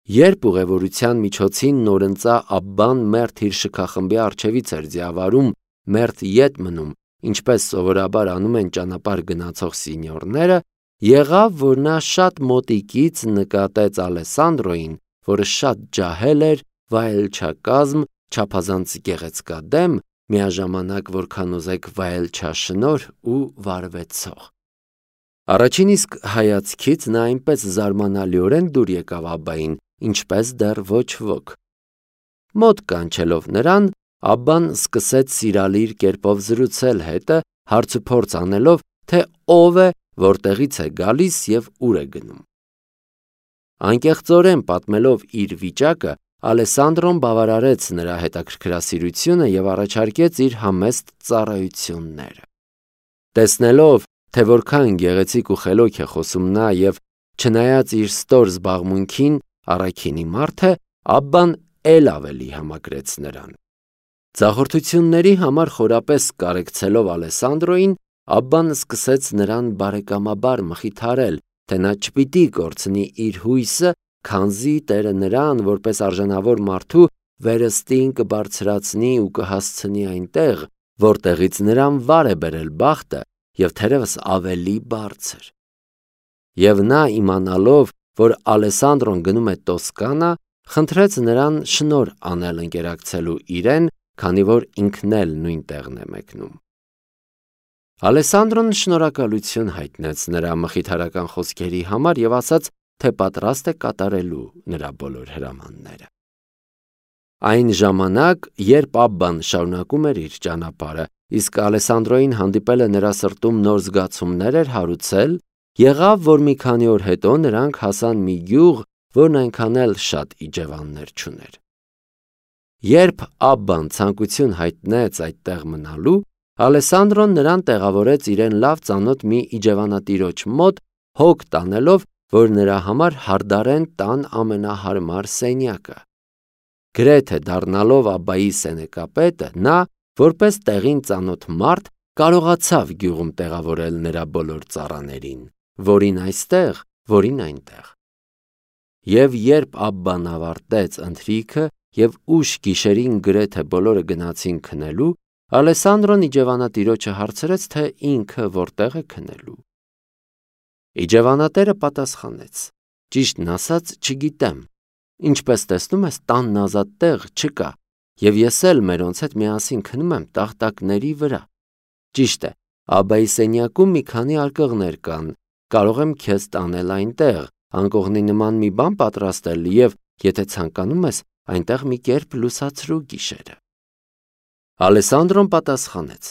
Երբ ուղևորության միջոցին նորընծա Աբբան մերթ իր շքախմբի առջևից էր ձիավարում, մերթ ետ մնում, ինչպես սովորաբար անում են ճանապարհ գնացող սինьորները, եղավ, որ նա շատ մոտիկից նկատեց Ալեսանդրոյին, որը շատ ջահել էր, վայելչակազմ, չափազանց գեղեցկադեմ, միաժամանակ որքան ուզեք վայելչաշնորհ ու վարվեցող։ Առաջին իսկ հայացքից նա այնպես զարմանալիորեն դուր եկավ Աբբային, ինչպես դեռ ոչ ոք։ Մոտ կանչելով նրան, Աբբան սկսեց սիրալիր կերպով զրուցել հետը, հարցուփորձ անելով, թե ով է, որտեղից է գալիս և ուր է գնում։ Անկեղծորեն պատմելով իր վիճակը, Ալեսանդրոն բավարարեց նրա հետաքրքրասիրությունը և առաջարկեց իր համեստ ծառայությունները։ Տեսնելով, թե որքան գեղեցիկ ու խելոք է խոսում նա և չնայած իր ստոր զբաղմունքին առաքինի մարդ է, Աբբան էլ ավելի համակրեց նրան։ Ձախորդությունների համար խորապես կարեկցելով Ալեսանդրոյին, Աբբան սկսեց նրան բարեկամաբար մխիթարել, թե նա չպիտի կորցնի իր հույսը, քանզի Տերը նրան, որպես արժանավոր մարդու, վերստին կբարձրացնի ու կհասցնի այնտեղ, որտեղից նրան վար է բերել բախտը և թերևս ավելի բարձր։ Եվ նա, իմանալով, որ Ալեսանդրոն գնում է Տոսկանա, խնդրեց նրան շնորհ անել ընկերակցելու իրեն, քանի որ ինքն էլ նույն տեղն է մեկնում։ Ալեսանդրոն շնորհակալություն հայտնեց նրա մխիթարական խոսքերի համար և ասաց, թե պատրաստ է կատարելու նրա բոլոր հրամանները։ Այն ժամանակ, երբ Աբբան շարունակում էր իր ճանապարհը, իսկ Ալեսանդրոյին հանդիպելը նրա սրտում նոր զգացումներ էր հարուցել, եղավ, որ մի քանի օր հետո նրանք հասան մի գյուղ, որն այնքան էլ շատ իջևաններ չուներ։ Երբ Աբբան ցանկություն հայտնեց այդտեղ մնալու, Ալեսանդրոն նրան տեղավորեց իրեն լավ ծանոթ մի իջևանատիրոջ մոտ, հոգ տանելով, որ նրա համար հարդարեն տան ամենահարմար սենյակը։ Գրեթե դառնալով Աբբայի սենեկապետը, նա, որպես տեղին ծանոթ մարդ, կարողացավ գյուղում տեղավորել նրա բոլոր ծառաներին, որին այստեղ, որին այնտեղ։ Եվ երբ Աբբան ավարտեց ընթրիքը և ուշ գիշերին գրեթե բոլորը գնացին քնելու, Ալեսանդրոն իջևանատիրոջը հարցրեց, թե ինքը որտեղ է քնելու։ Իջևանատերը պատասխանեց. «Ճիշտն ասած, չգիտեմ, ինչպես տեսնում ես, տանն ազատ տեղ չկա, և ես էլ մերոնց հետ միասին քնում եմ տախտակների վրա։ Ճիշտ է, Աբբայի սենյակում մի քանի արկղներ կան, կարող եմ քեզ տանել այնտեղ, անկողնի նման մի բան պատրաստել և, եթե ցանկանում ես, այնտեղ մի կերպ լուսացրու գիշերը»։ Ալեսանդրոն պատասխանեց.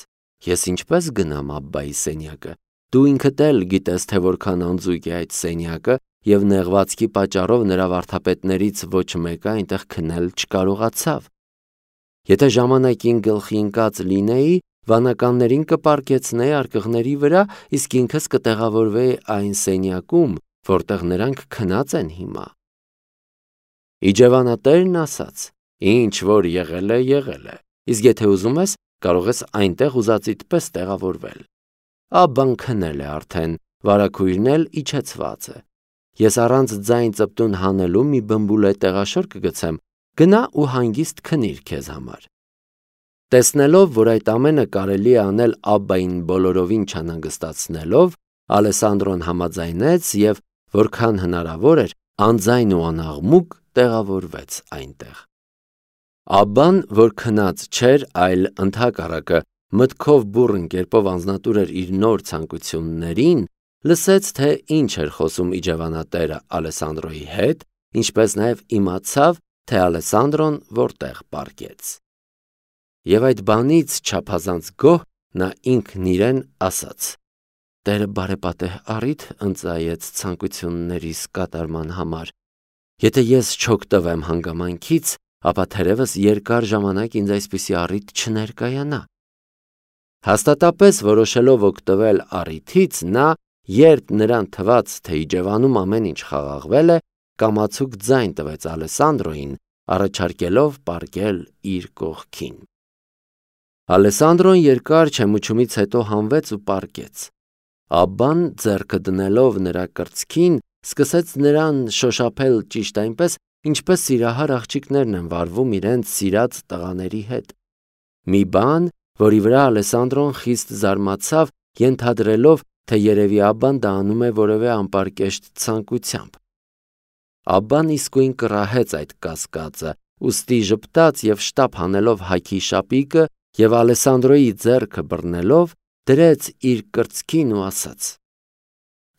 «Ես ինչպես գնամ Աբբայի սենյակը, դու ինքդ էլ գիտես, թե որքան անձույկ է այդ սենյակը, և նեղվածքի պատճառով նրա վարդապետներից ոչ մեկը այնտեղ քնել չկարողացավ։ Եթե ժամանակին գլխի ընկած լինեի, վանականներին կպառկեցնեի արկղների վրա, իսկ ինքս կտեղավորվեի այն սենյակում, որտեղ նրանք քնած են հիմա»։ Իջևանատերն ասաց. «Ինչ որ եղել է, իսկ եթե ուզում ես, կարող ես այնտեղ ուզածիդ պես տեղավորվել։ Աբբան քնել է արդեն, վարագույրն էլ իջեցված է։ Ես առանց ձայն ծպտուն հանելու մի բմբուլե տեղաշոր կգցեմ, գնա ու հանգիստ քնիր քեզ համար»։ Տեսնելով, որ այդ ամենը կարելի է անել Աբբային բոլորովին չանհանգստացնելով, Ալեսանդրոն համաձայնեց և, որքան հնարավոր էր, անձայն ու անաղմուկ տեղավորվեց այնտեղ։ Աբբան, որ քնած չէր, այլ ընդհակառակը մտքով բուռն կերպով անձնատուր էր իր նոր ցանկություններին, լսեց, թե ինչ էր խոսում իջևանատերը Ալեսանդրոյի հետ, ինչպես նաև իմացավ, թե Ալեսանդրոն որտեղ պառկեց։ Եվ այդ բանից չափազանց գոհ նա ինքն իրեն ասաց. «Տերը բարեպատեհ առիթ ընծայեց ցանկություններիս կատարման համար։ Եթե ես չօգտվեմ հանգամանքից, ապա թերևս երկար ժամանակ ինձ այսպիսի առիթ չներկայանա»։ Հաստատապես որոշելով օգտվել առիթից, նա, երբ նրան թվաց, թե իջևանում ամեն ինչ խաղաղվել է, կամացուկ ձայն տվեց Ալեսանդրոյին, առաջարկելով պառկել իր կողքին։ Ալեսանդրոն երկար չեմուչումից հետո հանվեց ու պառկեց։ Աբբան, ձեռքը դնելով նրա կրծքին, սկսեց նրան շոշափել ճիշտ այնպես, ինչպես սիրահար աղջիկներն են վարվում իրենց սիրած տղաների հետ։ Մի բան, որի վրա Ալեսանդրոն խիստ զարմացավ, ենթադրելով, թե երևի Աբբան դա անում է որևէ անպարկեշտ ցանկությամբ։ Աբբան իսկույն կռահեց այդ կասկածը, ուստի ժպտաց և շտապ հանելով հագի շապիկը և Ալեսանդրոյի ձեռքը բռնելով, դրեց իր կրծքին ու ասաց.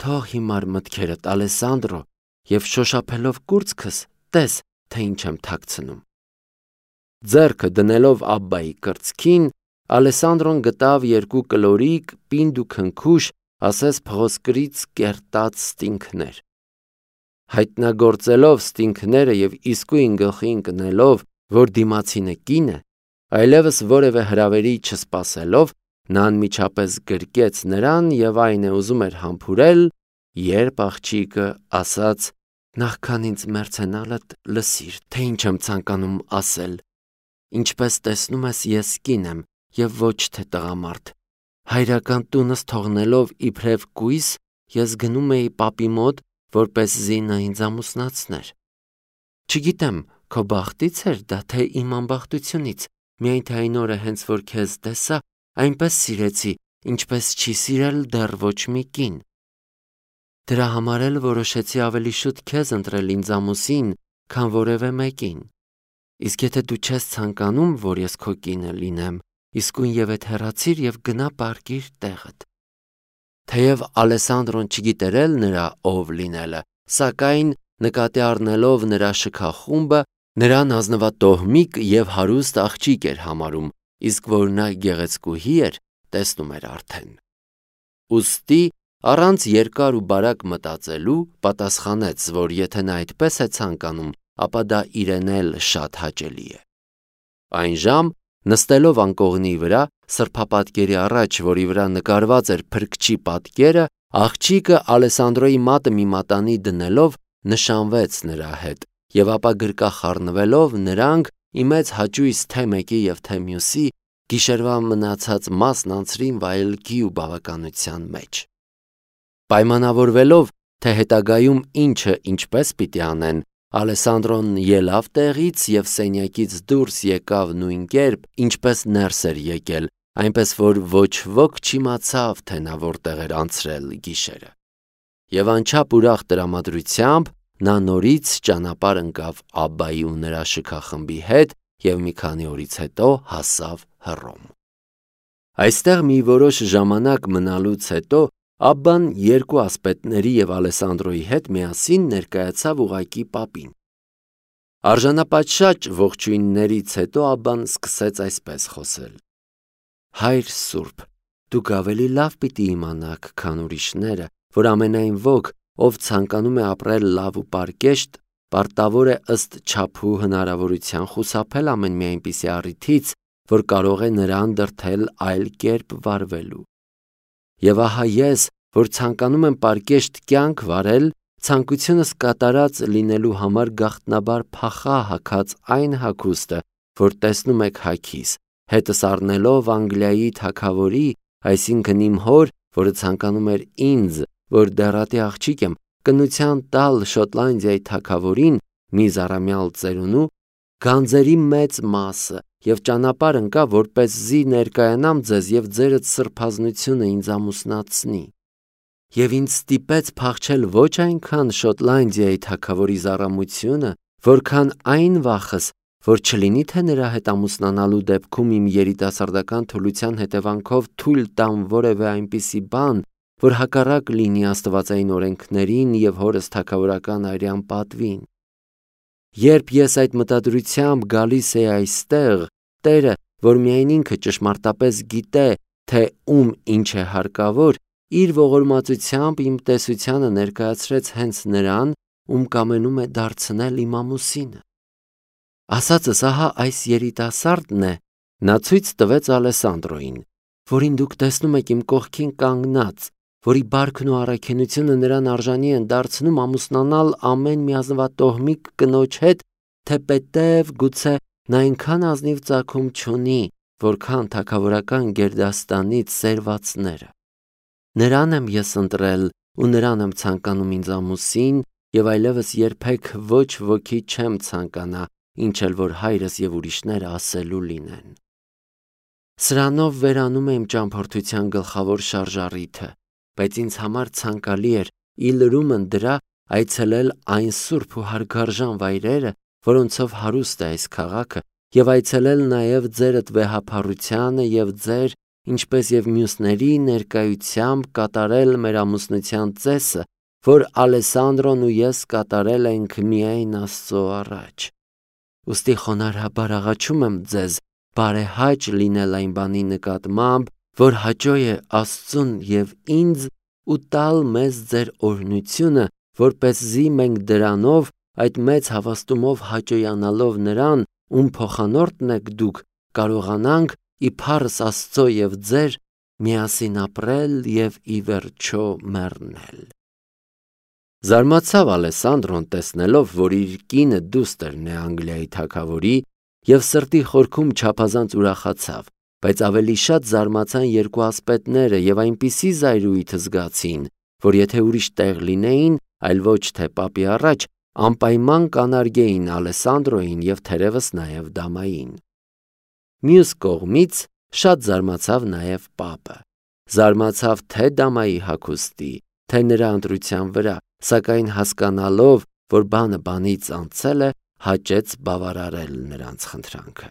«Թող հիմար մտքերդ, Ալեսանդրո, և շոշափելով կուրծքս, տես, թե ինչ եմ թաքցնում»։ Ձեռքը դնելով Աբբայի կրծքին, Ալեսանդրոն գտավ երկու կլորիկ, պինդ ու քնքուշ, ասես փղոսկրից կերտած ստինգներ։ Հայտնագործելով ստինգները և իսկույն գլխի ընկնելով, որ դիմացինը կին է, այլևս որևէ հրավերի չսպասելով, նա անմիջապես գրկեց նրան և այն է ուզում էր համբուրել, երբ աղջիկը ասաց. «Նախքան ինձ մեռցենալդ լսիր, թե ինչ եմ ցանկանում ասել։ Ինչպես տեսնում ես, ես կին եմ և ոչ թե տղամարդ։ Հայրական տունս թողնելով իբրև կույս, ես գնում էի պապի մոտ, որպեսզի նա ինձ ամուսնացներ։ Չգիտեմ, քո բախտից էր դա, թե իմ անբախտությունից, միայն թե այն օրը հենց որ քեզ տեսա, այնպես սիրեցի, ինչպես չի սիրել դեռ ոչ մի կին։ Դրա համար էլ որոշեցի ավելի շուտ քեզ ընտրել ինձ ամուսին, քան որևէ մեկին։ Իսկ եթե դու չես ցանկանում, որ ես քո կինը լինեմ, իսկույն ևեթ հեռացիր և գնա պառկիր տեղդ։ Թեև Ալեսանդրոն չգիտեր էլ նրա ով լինելը, սակայն նկատի առնելով նրա շքախումբը, նրան ազնվատոհմիկ և հարուստ աղջիկ էր համարում, իսկ որ նա գեղեցկուհի էր, տեսնում էր արդեն։ Ուստի առանց երկար ու բարակ մտածելու պատասխանեց, որ եթե նա այդպես է ցանկանում, ապա դա իրեն էլ շատ հաճելի է։ Այն ժամ, նստելով անկողնի վրա, սրբապատկերի առաջ, որի վրա նկարված էր փրկչի պատկերը, աղջիկը Ալեսանդրոյի մատը մի մատանի դնելով նշանվեց նրա հետ, և ապա գրկախառնվելով նրանք ի մեծ հաճույս թե մեկի և թե մյուսի գիշերվա մնացած մասն անցրին վայելքի ու բավականության մեջ։ Պայմանավորվելով, թե հետագայում ինչը ինչպես պիտի անեն, Ալեսանդրոն ելավ տեղից և սենյակից դուրս եկավ նույն կերպ, ինչպես ներս էր եկել, այնպես որ ոչ ոք չիմացավ, թե նա որտեղ էր անցրել գիշերը։ Եվ անչափ ուրախ տրամադրությամբ նա նորից ճանապարհ ընկավ Աբբայի ու նրա շքախմբի հետ և մի քանի օրից հետո հասավ Հռոմ։ Այստեղ մի որոշ ժամանակ մնալուց հետո Աբբան երկու ասպետների և Ալեսանդրոյի հետ միասին ներկայացավ ուղղակի պապին։ Արժանապատշաճ ողջույններից հետո Աբբան սկսեց այսպես խոսել. «Հայր սուրբ, դուք ավելի լավ պիտի իմանաք, քան ուրիշները, որ ամենայն ոք, ով ցանկանում է ապրել լավ ու պարկեշտ, պարտավոր է ըստ չափու հնարավորության խուսափել ամեն մի այնպիսի առիթից, որ կարող է նրան դրդել այլ կերպ վարվելու։ Եվ ահա ես, որ ցանկանում եմ պարկեշտ կյանք վարել, ցանկությունս կատարած լինելու համար գաղտնաբար փախա հագած այն հագուստը, որ տեսնում եք հագիս, հետս առնելով Անգլիայի թագավորի, այսինքն իմ հոր, որը ցանկանում էր ինձ, որ դեռատի աղջիկ եմ, կնության տալ Շոտլանդիայի թագավորին, մի զառամյալ ծերունու, գանձերի մեծ մասը և ճանապարհ ընկա, որպեսզի ներկայանամ ձեզ և ձերդ սրբազնությունը ինձ ամուսնացնի։ Եվ ինձ ստիպեց փախչել ոչ այնքան Շոտլանդիայի թագավորի զառամությունը, որքան այն վախս, որ չլինի թե նրա հետ ամուսնանալու դեպքում իմ երիտասարդական թուլության հետևանքով թույլ տամ որևէ այնպիսի բան, որ հակառակ լինի աստվածային օրենքներին և հորս թագավորական արյան պատվին։ Երբ ես այդ մտադրությամբ գալիս էի այստեղ, Տերը, որ միայն ինքը ճշմարտապես գիտե, թե ում ինչ է հարկավոր, իր ողորմածությամբ իմ տեսությանը ներկայացրեց հենց նրան, ում կամենում է դարձնել իմ ամուսինը։ Ասածս ահա այս երիտասարդն է, նա ցույց տվեց Ալեսանդրոյին, որին դուք տեսնում եք իմ կողքին կանգնած, որի բարքն ու առաքինությունը նրան արժանի են դարձնում ամուսնանալ ամեն մի ազնվատոհմիկ կնոջ հետ, թեպետև գուցե նա այնքան ազնիվ ծագում չունի, որքան թագավորական գերդաստանից սերվածները։ Նրան եմ ես ընտրել ու նրան եմ ցանկանում ինձ ամուսին եւ այլևս երբեք ոչ ոքի չեմ ցանկանա, ինչ էլ որ հայրս եւ ուրիշները ասելու լինեն։ Սրանով վերանում եմ ճամփորդության գլխավոր շարժառիթը, բայց ինձ համար ցանկալի էր ի լրումն դրա այցելել այն սուրբ ու հարգարժան վայրերը, որոնցով հարուստ է այս քաղաքը, եւ այցելել նաեւ ձերդ վեհափառությանը եւ ձեր, ինչպես եւ մյուսների ներկայությամբ կատարել մեր ամուսնության ծեսը, որ Ալեսանդրոն ու ես կատարել ենք միայն Աստծո առաջ։ Ուստի խոնարհաբար աղաչում եմ ձեզ բարեհաճ լինել այն բանի նկատմամբ, որ հաճո է Աստծուն եւ ինձ ու տալ մեզ ձեր օրհնությունը, որպեսզի մենք դրանով այդ մեծ հավաստումով հաճոյանալով նրան, ում փոխանորդն եք դուք, կարողանանք իբարս Աստծո եւ ձեր միասին ապրել եւ ի վերջո մեռնել։ Զարմացավ Ալեսանդրոն տեսնելով, որ իր կինը դուստերն է Անգլիայի թագավորի եւ սրտի խորքում չափազանց ուրախացավ, բայց ավելի շատ զարմացան երկու ասպետները եւ այնպիսի զայրույթ զգացին, որ եթե ուրիշ տեղ լինեին, այլ ոչ թե պապի առաջ, անպայման կանարգեին Ալեսանդրոին եւ թերևս նաեւ դամային։ Մյուս կողմից շատ զարմացավ նաեւ պապը։ Զարմացավ թե դամայի հագուստի, թե նրա ընտրության վրա, սակայն հասկանալով, որ բանը բանից անցել է, հաճեց բավարարել նրանց խնդրանքը։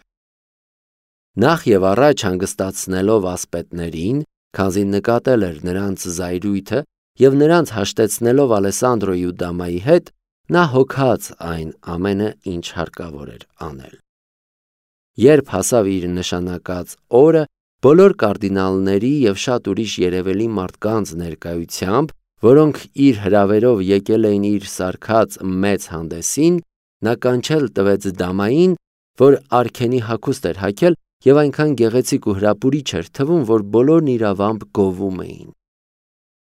Նախ եւ առաջ հանգստացնելով ասպետներին, քանզի նկատել էր նրանց զայրույթը եւ նրանց հաշտեցնելով Ալեսանդրոյի ու դամայի հետ, նա հոգաց այն ամենը, ինչ հարկավոր էր անել։ Երբ հասավ իր նշանակած օրը, բոլոր կարդինալների եւ շատ ուրիշ երևելի մարդկանց ներկայությամբ, որոնք իր հրավերով եկել էին իր սարքած մեծ հանդեսին, նա կանչել տվեց դամային, որ արքենի հագուստ էր հագել եւ այնքան գեղեցիկ ու հրապուրիչ էր թվում, որ բոլորն իրավամբ գովում էին։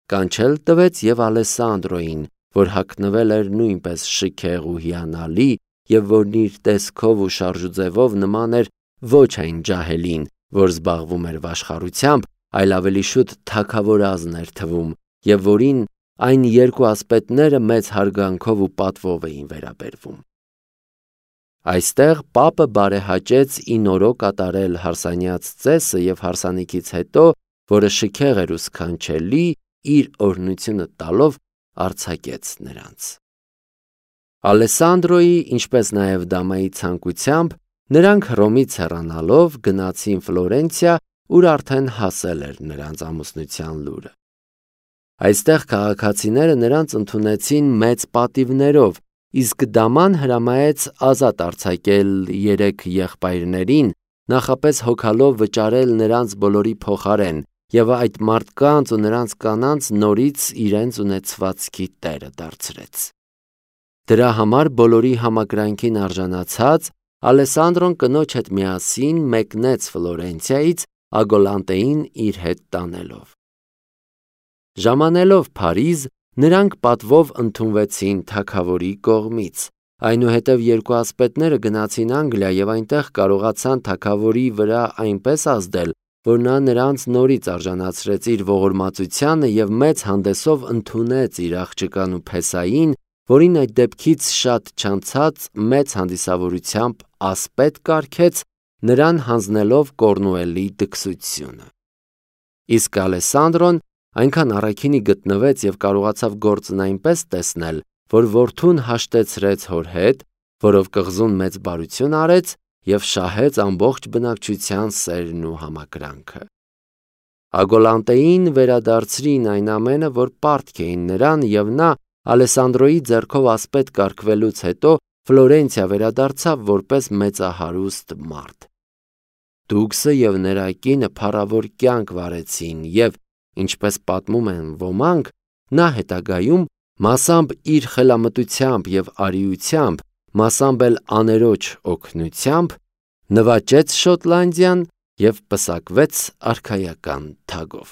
Կանչել տվեց եւ Ալեսանդրոին, որ հագնվել էր նույնպես շքեղ ու հիանալի եւ որն իր տեսքով ու շարժուձևով նման էր ոչ այն ջահելին, որ զբաղվում էր վաշխառությամբ, այլ ավելի շուտ թագավորազն էր թվում եւ որին այն երկու ասպետները մեծ հարգանքով ու պատվով էին վերաբերվում։ Այստեղ պապը բարեհաճեց ի նորո կատարել հարսանյաց ծեսը եւ հարսանիքից հետո, որը շքեղ էր ու սքանչելի, իր օրհնությունը տալով արձակեց նրանց։ Ալեսանդրոյի, ինչպես նաեւ դամայի ցանկությամբ, նրանք Հռոմից հեռանալով գնացին Ֆլորենցիա, ուր արդեն հասել էր նրանց ամուսնության լուրը։ Այստեղ քաղաքացիները նրանց ընդունեցին մեծ պատիվներով, իսկ դաման հրամայեց ազատ արձակել 3 եղբայրներին, նախապես հոգալով վճարել նրանց բոլորի փոխարեն եւ այդ մարդկանց ու նրանց կանանց նորից իրենց ունեցվածքի տերը դարձրեց։ Դրա համար բոլորի համակրանքին արժանացած Ալեսանդրոն կնոջ հետ միասին մեկնեց Ֆլորենցիայից Ագոլանտեին իր հետ տանելով։ Ժամանելով Փարիզ, նրանք պատվով ընդունվեցին թագավորի կողմից։ Այնուհետև երկու ասպետները գնացին Անգլիա եւ այնտեղ կարողացան թագավորի վրա այնպես ազդել, որ նա նրանց նորից արժանացրեց իր ողորմածությանը եւ մեծ հանդեսով ընդունեց իր աղջկան ու Փեսային, որին այդ դեպքից շատ չանցած մեծ հանդիսավորությամբ ասպետ կարգեց, նրան հանձնելով Կորնուելի դքսությունը։ Իսկ Ալեսանդրոն այնքան առաքինի գտնվեց եւ կարողացավ գործն այնպես տեսնել, որ որդուն հաշտեցրեց հոր հետ, որով կղզուն մեծ բարություն արեց եւ շահեց ամբողջ բնակչության սերն ու համակրանքը։ Ագոլանտեին վերադարձրին այն ամենը, որ պարտք էին նրան, եւ նա Ալեսանդրոյի ձեռքով ասպետ կարգվելուց հետո Ֆլորենցիա վերադարձավ որպես մեծահարուստ մարդ։ Դուքսը եւ նրա կինը փառավոր կյանք վարեցին եւ, ինչպես պատմում են ոմանք, նա հետագայում մասամբ իր խելամտությամբ եւ արիությամբ, մասամբ էլ աներոջ օգնությամբ նվաճեց Շոտլանդիան եւ պսակվեց արքայական թագով։